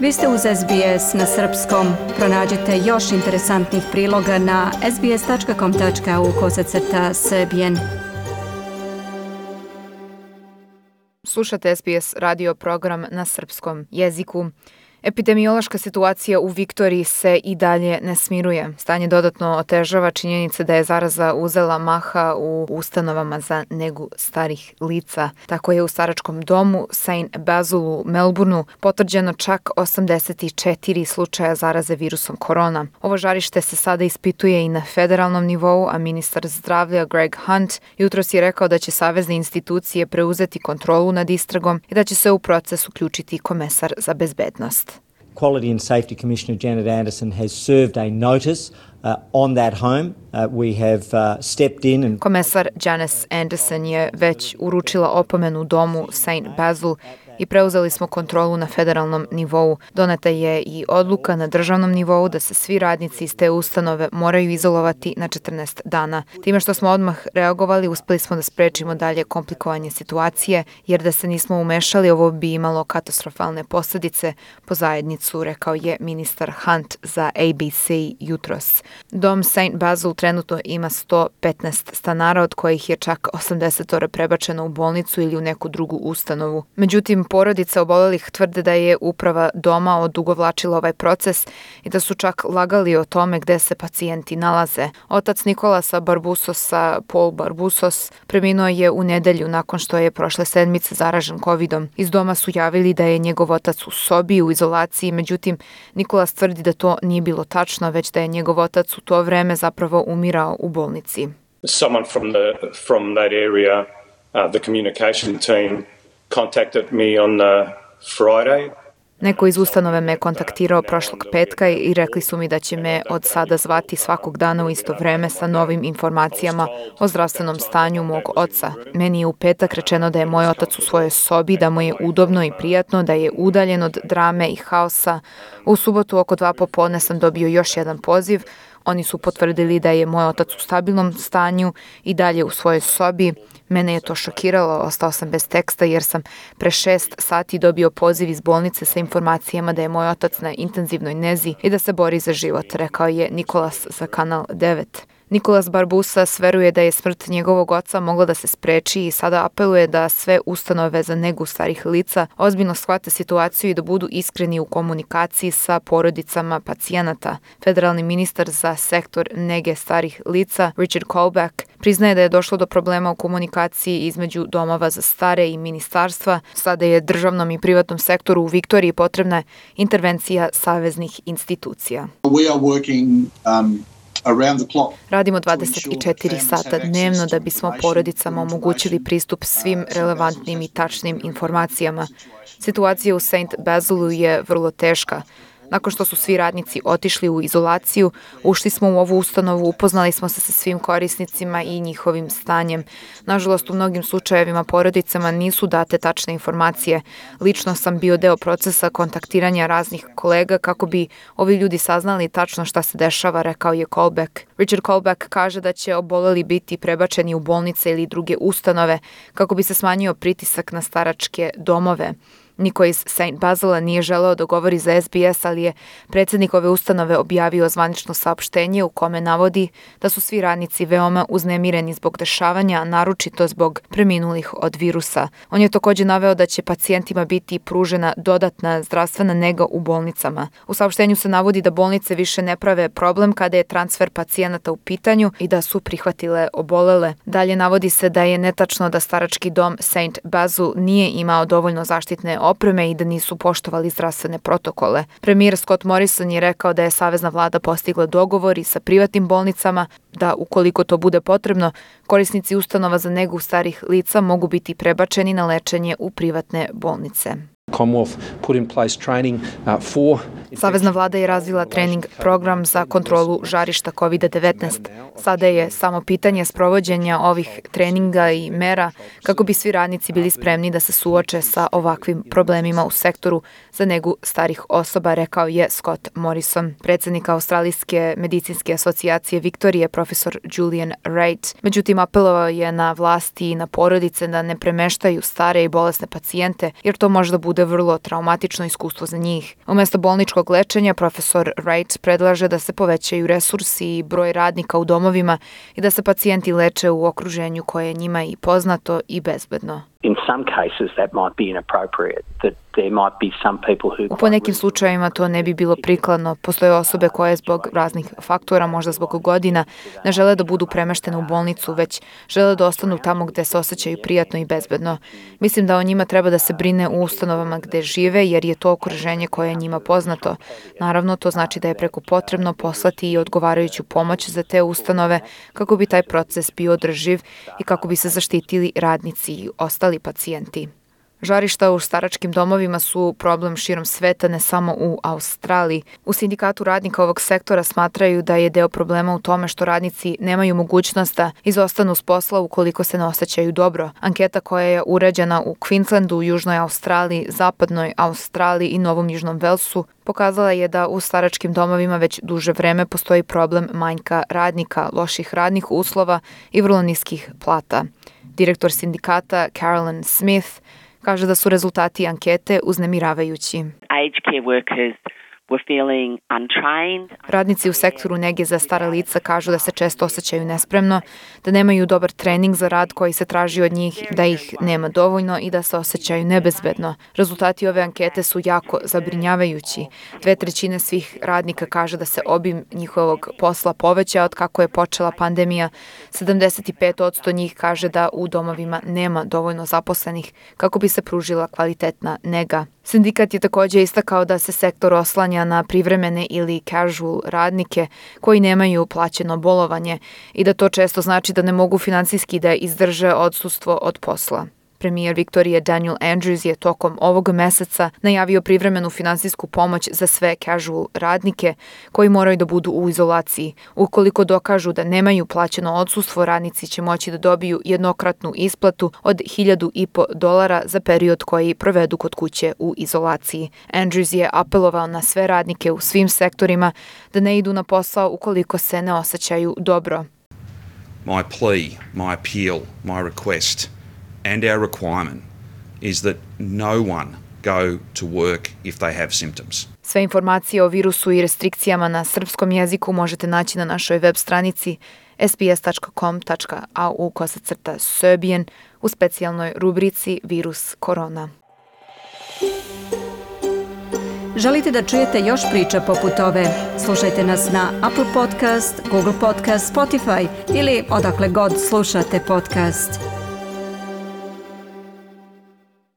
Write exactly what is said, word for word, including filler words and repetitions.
Vi ste uz S B S na srpskom. Pronađite još interesantnih priloga na sbs.com.au kosacrta srbijen. Slušate S B S radio program na srpskom jeziku. Epidemiološka situacija u Viktoriji se i dalje ne smiruje. Stanje dodatno otežava činjenica da je zaraza uzela maha u ustanovama za negu starih lica. Tako je u staračkom domu Saint Basil u Melbourneu potvrđeno čak osamdeset četiri slučaja zaraze virusom korona. Ovo žarište se sada ispituje i na federalnom nivou, a ministar zdravlja Greg Hunt jutros je rekao da će savezne institucije preuzeti kontrolu nad istragom i da će se u proces uključiti komesar za bezbednost. Quality and Safety Commissioner Janet Anderson has served a notice uh, on that home. Uh, we have uh, stepped in and... Komesar Janice Anderson je već uručila opomenu domu Saint Basil i preuzeli smo kontrolu na federalnom nivou. Doneta je i odluka na državnom nivou da se svi radnici iz te ustanove moraju izolovati na četrnaest dana. Time što smo odmah reagovali, uspeli smo da sprečimo dalje komplikovanje situacije, jer da se nismo umešali, ovo bi imalo katastrofalne posljedice po zajednicu, rekao je ministar Hunt za A B C jutros. Dom Saint Basil trenutno ima sto petnaest stanara, od kojih je čak osamdeset prebačeno u bolnicu ili u neku drugu ustanovu. Međutim, porodica obolelih tvrde da je uprava doma odugovlačila ovaj proces i da su čak lagali o tome gde se pacijenti nalaze. Otac Nikolasa Barbusosa, Paul Barbusos, preminuo je u nedelju nakon što je prošle sedmice zaražen covidom. Iz doma su javili da je njegov otac u sobi u izolaciji, međutim Nikolas tvrdi da to nije bilo tačno, već da je njegov otac u to vreme zapravo umirao u bolnici. Someone from the from that area, uh, the communication team contacted me on uh, Friday. Neko iz ustanove me kontaktirao prošlog petka i rekli su mi da će me od sada zvati svakog dana u isto vreme sa novim informacijama o zdravstvenom stanju mog oca. Meni je u petak rečeno da je moj otac u svojoj sobi, da mu je udobno i prijatno, da je udaljen od drame i haosa. U subotu oko dva popodne sam dobio još jedan poziv. Oni su potvrdili da je moj otac u stabilnom stanju i dalje u svojoj sobi. Mene je to šokiralo, ostao sam bez teksta jer sam pre šest sati dobio poziv iz bolnice sa informacijama da je moj otac na intenzivnoj nezi i da se bori za život, rekao je Nikolas za Kanal devet. Nikolas Barbusas veruje da je smrt njegovog oca mogla da se spreči i sada apeluje da sve ustanove za negu starih lica ozbiljno shvate situaciju i da budu iskreni u komunikaciji sa porodicama pacijenata. Federalni ministar za sektor nege starih lica Richard Colbeck priznaje da je došlo do problema u komunikaciji između domova za stare i ministarstva. Sada je državnom i privatnom sektoru u Viktoriji potrebna intervencija saveznih institucija. We are working, um... Radimo dvadeset četiri sata dnevno da bismo porodicama omogućili pristup svim relevantnim i tačnim informacijama. Situacija u Saint Basilu je vrlo teška. Nakon što su svi radnici otišli u izolaciju, ušli smo u ovu ustanovu, upoznali smo se sa svim korisnicima i njihovim stanjem. Nažalost, u mnogim slučajevima porodicama nisu date tačne informacije. Lično sam bio deo procesa kontaktiranja raznih kolega kako bi ovi ljudi saznali tačno šta se dešava, rekao je Colbeck. Richard Colbeck kaže da će oboleli biti prebačeni u bolnice ili druge ustanove kako bi se smanjio pritisak na staračke domove. Niko iz Saint Basila nije želeo da govori za S B S, ali je predsjednik ove ustanove objavio zvanično saopštenje u kome navodi da su svi radnici veoma uznemireni zbog dešavanja, naročito zbog preminulih od virusa. On je također naveo da će pacijentima biti pružena dodatna zdravstvena nega u bolnicama. U saopštenju se navodi da bolnice više ne prave problem kada je transfer pacijenata u pitanju i da su prihvatile obolele. Dalje navodi se da je netačno da starački dom Saint Basil nije imao dovoljno zaštitne opreme i da nisu poštovali zdravstvene protokole. Premijer Scott Morrison je rekao da je savezna vlada postigla dogovor i sa privatnim bolnicama da, ukoliko to bude potrebno, korisnici ustanova za negu starih lica mogu biti prebačeni na lečenje u privatne bolnice. Savezna vlada je razvila trening program za kontrolu žarišta kovid devetnaest. Sada je samo pitanje sprovođenja ovih treninga i mera kako bi svi radnici bili spremni da se suoče sa ovakvim problemima u sektoru za negu starih osoba, rekao je Scott Morrison. Predsjednik Australijske medicinske asocijacije Viktorije, profesor Julian Reid, međutim apelovao je na vlasti i na porodice da ne premeštaju stare i bolesne pacijente, jer to može da bude bude vrlo traumatično iskustvo za njih. Umesto bolničkog lečenja, profesor Wright predlaže da se povećaju resursi i broj radnika u domovima i da se pacijenti leče u okruženju koje je njima i poznato i bezbedno. In some cases that might be inappropriate, that there might be some people who... U ponekim slučajevima to ne bi bilo prikladno. Postoje osobe koje zbog raznih faktora, možda zbog godina, ne žele da budu premeštene u bolnicu, već žele da ostanu tamo gde se osjećaju prijatno i bezbedno. Mislim da o njima treba da se brine u ustanovama gde žive, jer je to okruženje koje je njima poznato. Naravno, to znači da je preko potrebno poslati i odgovarajuću pomoć za te ustanove kako bi taj proces bio održiv i kako bi se zaštitili radnici i ostali pacijenti. Žarišta u staračkim domovima su problem širom sveta, ne samo u Australiji. U sindikatu radnika ovog sektora smatraju da je deo problema u tome što radnici nemaju mogućnost da izostanu s posla ukoliko se ne osjećaju dobro. Anketa koja je urađena u Queenslandu, Južnoj Australiji, Zapadnoj Australiji i Novom Južnom Velsu pokazala je da u staračkim domovima već duže vreme postoji problem manjka radnika, loših radnih uslova i vrlo niskih plata. Direktor sindikata Carolyn Smith kaže da su rezultati ankete uznemiravajući. Aged care workers were feeling untrained. Radnici u sektoru nege za stara lica kažu da se često osjećaju nespremno, da nemaju dobar trening za rad koji se traži od njih, da ih nema dovoljno i da se osjećaju nebezbedno. Rezultati ove ankete su jako zabrinjavajući. Dve trećine svih radnika kaže da se obim njihovog posla poveća od kako je počela pandemija. sedamdeset pet posto njih kaže da u domovima nema dovoljno zaposlenih kako bi se pružila kvalitetna nega. Sindikat je također istakao da se sektor oslanja na privremene ili casual radnike koji nemaju plaćeno bolovanje i da to često znači da ne mogu finansijski da izdrže odsustvo od posla. Premijer Viktorije Daniel Andrews je tokom ovog meseca najavio privremenu finansijsku pomoć za sve casual radnike koji moraju da budu u izolaciji. Ukoliko dokažu da nemaju plaćeno odsustvo, radnici će moći da dobiju jednokratnu isplatu od hiljadu i po dolara za period koji provedu kod kuće u izolaciji. Andrews je apelovao na sve radnike u svim sektorima da ne idu na posao ukoliko se ne osjećaju dobro. My plea, my appeal, my request and our requirement is that no one go to work if they have symptoms. Sve informacije o virusu i restrikcijama na srpskom jeziku možete naći na našoj web stranici s b s tačka com tačka a u kosacrta Serbian u specijalnoj rubrici Virus korona. Želite da čujete još priča poput ove? Slušajte nas na Apple Podcast, Google Podcast, Spotify ili odakle god slušate podcast.